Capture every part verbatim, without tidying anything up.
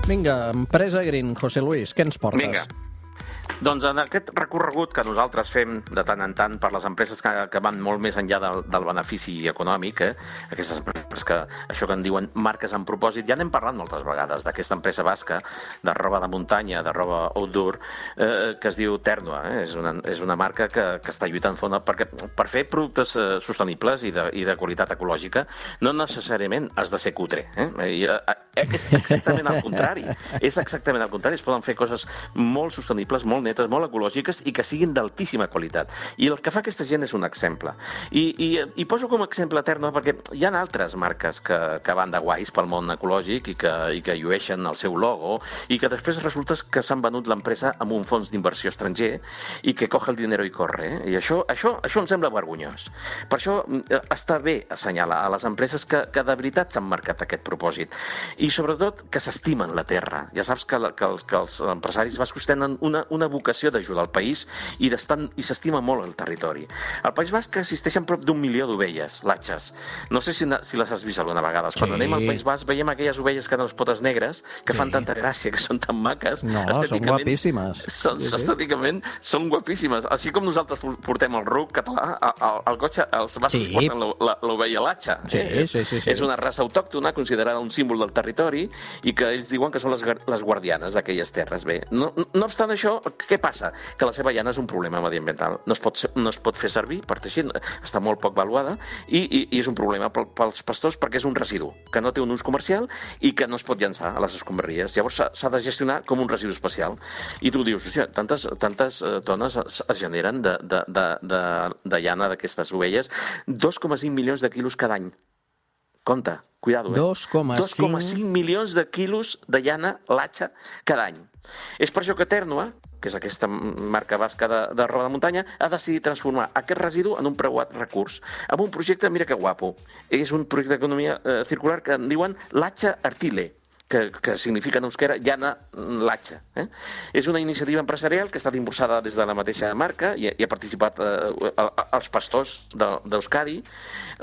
Vinga, empresa Green, José Luis, què ens portes? Vinga. Doncs en aquest recorregut que nosaltres fem de tant en tant per les empreses que, que van molt més enllà del, del benefici econòmic, eh? Aquestes empreses que, això que en diuen marques amb propòsit, ja n'hem parlat moltes vegades d'aquesta empresa basca de roba de muntanya, de roba outdoor, eh, que es diu Ternua. Eh? És, una, és una marca que, que està lluitant fona perquè per fer productes eh, sostenibles i de, i de qualitat ecològica no necessàriament has de ser cutre. Eh? I, eh, és exactament al contrari. És exactament al contrari. Es poden fer coses molt sostenibles, molt netes, molt ecològiques i que siguin d'altíssima qualitat. I el que fa aquesta gent és un exemple. I, i, i poso com a exemple Ternua perquè hi ha altres marques que, que van de guais pel món ecològic i que, i que llueixen el seu logo i que després resulta que s'han venut l'empresa amb un fons d'inversió estranger i que coge el dinero i corre. Eh? I això, això, això em sembla vergonyós. Per això està bé assenyalar a les empreses que, que de veritat s'han marcat aquest propòsit. I sobretot que s'estimen la terra. Ja saps que, que, els, que els empresaris bascos tenen una, una vocació d'ajudar al país i, i s'estima molt el territori. Al País Basc existeixen prop d'un milió d'ovelles, latxes. No sé si, si les has vist alguna vegada. Quan sí. anem al País Basc veiem aquelles ovelles que tenen les potes negres, que sí. fan tanta gràcia, que són tan maques. No, són guapíssimes. Són, sí, sí. Estèticament són guapíssimes. Així com nosaltres portem el ruc català, el, el cotxe, els bascos sí. porten l'ovella latxa. Sí, eh? sí, sí, sí. És una raça autòctona, considerada un símbol del territori, i que ells diuen que són les, les guardianes d'aquelles terres. Bé, no, no obstant això, què passa? Que la seva llana és un problema mediambiental. No es pot, no es pot fer servir per teixir, està molt poc valuada, i, i, i és un problema pels pastors perquè és un residu, que no té un ús comercial i que no es pot llançar a les escombraries. Llavors s'ha de gestionar com un residu especial. I tu dius, hòstia, tantes, tantes tones es, es generen de, de, de, de, de llana d'aquestes ovelles, dos coma cinc milions de quilos cada any. Compte, cuidado, eh? dos coma cinc milions de quilos de llana latxa cada any. És per això que Ternua, que és aquesta marca basca de, de roba de muntanya, ha decidit transformar aquest residu en un preuat recurs, amb un projecte, mira que guapo, és un projecte d'economia eh, circular que en diuen Latxa Artile, que, que significa en euskera llana latxa. Eh? És una iniciativa empresarial que ha estat impulsada des de la mateixa marca i, i ha participat eh, els pastors d'Euskadi,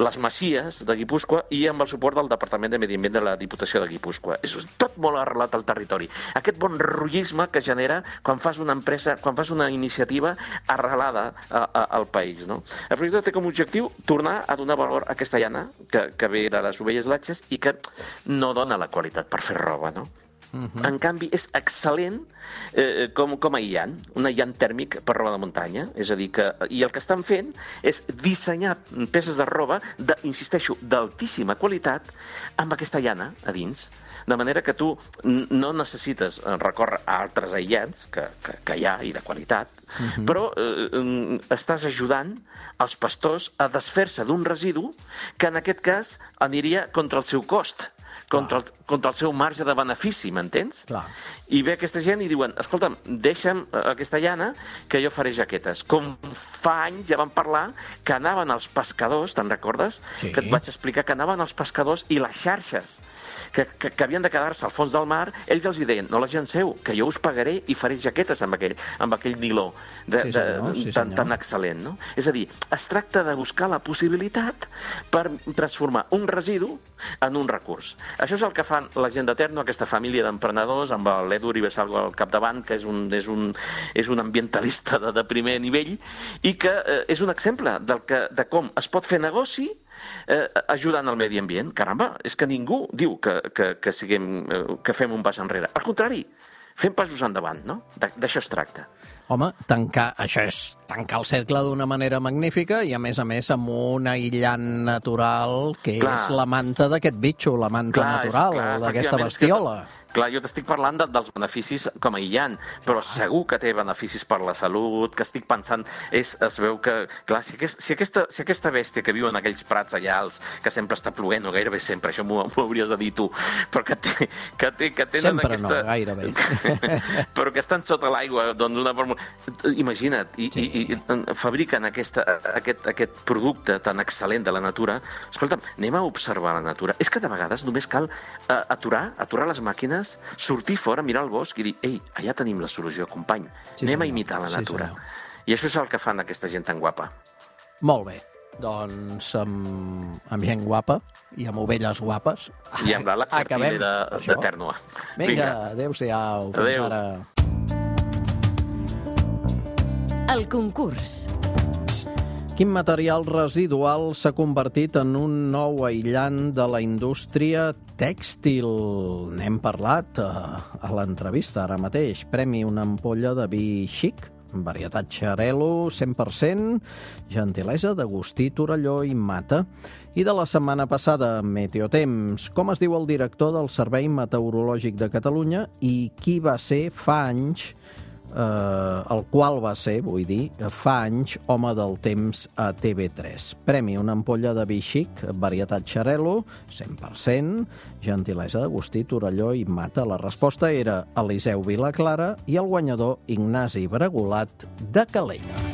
les masies de Guipúscoa i amb el suport del Departament de Medi Ambient de la Diputació de Guipúscoa. És tot molt arrelat al territori. Aquest bon rotllisme que genera quan fas una empresa, quan fas una iniciativa arrelada a, a, al país. No? El projecte té com a objectiu tornar a donar valor a aquesta llana que, que ve de les ovelles latxes i que no dona la qualitat per fer roba, no? Uh-huh. En canvi, és excel·lent eh, com, com a aïllant, un aïllant tèrmic per roba de muntanya. És a dir, que, i el que estan fent és dissenyar peces de roba, de, insisteixo, d'altíssima qualitat, amb aquesta llana a dins. De manera que tu no necessites recórrer a altres aïllants, que, que, que hi ha i de qualitat, uh-huh. però eh, estàs ajudant els pastors a desfer-se d'un residu que en aquest cas aniria contra el seu cost. Contra el, contra el seu marge de benefici, m'entens? Clar. I ve aquesta gent i diuen, escolta'm, deixa'm aquesta llana que jo faré jaquetes. Com fa anys ja vam parlar que anaven els pescadors, te'n recordes? Sí. Que et vaig explicar que anaven els pescadors i les xarxes que, que, que havien de quedar-se al fons del mar, ells els deien, no les llanceu, que jo us pagaré i faré jaquetes amb aquell, amb aquell niló de, sí, de, senyor, sí, tan, senyor. tan excel·lent. No? És a dir, es tracta de buscar la possibilitat per transformar un residu en un recurs. Això és el que fan la gent de Ternua, aquesta família d'emprenedors, amb l'Edu Ribesalgo al capdavant, que és un, és un, és un ambientalista de, de primer nivell, i que eh, és un exemple del que, de com es pot fer negoci eh, ajudant al medi ambient. Caramba, és que ningú diu que, que, que, siguem, eh, que fem un pas enrere. Al contrari, fem passos endavant, no? D'això es tracta. Home, tancar, això és tancar el cercle d'una manera magnífica i, a més a més, amb un aïllant natural que clar. És la manta d'aquest bitxo, la manta clar, natural d'aquesta bestiola. Clar, jo t'estic parlant de, dels beneficis com a aïllant, però segur que té beneficis per la salut, que estic pensant, és, es veu que, clar, si, aquest, si, aquesta, si aquesta bèstia que viu en aquells prats allà, els, que sempre està plovent, o gairebé sempre, això m'ho hauries de dir tu, però que, té, que, té, que tenen sempre aquesta... no, gairebé. però que estan sota l'aigua, doncs una forma... Imagina't, i, sí. i, i fabriquen aquesta, aquest, aquest producte tan excel·lent de la natura. Escolta'm, anem a observar la natura. És que de vegades només cal uh, aturar, aturar les màquines, sortir fora, mirar el bosc i dir, ei, allà tenim la solució, company. Sí, anem senyor. A imitar la natura. Sí, I això és el que fan aquesta gent tan guapa. Molt bé. Doncs amb, amb gent guapa i amb ovelles guapes. I amb la Latxa Artile de, de Tèrnua. Vinga, Vinga. Adéu-siau. Fins Adéu. ara. El concurs. Quin material residual s'ha convertit en un nou aïllant de la indústria tèxtil? N'hem parlat a, a l'entrevista ara mateix. Premi una ampolla de vi xic, varietat Xarel·lo, cent per cent, gentilesa d'Agustí Torelló i Mata. I de la setmana passada, Meteotemps. Com es diu el director del Servei Meteorològic de Catalunya i qui va ser fa anys, eh, el qual va ser, vull dir, fa anys, home del temps a T V tres. Premi una ampolla de vi xic, varietat Xarel·lo, cent per cent, gentilesa d'Agustí Torelló i Mata. La resposta era Eliseu Vilaclara i el guanyador Ignasi Bregolat de Calella.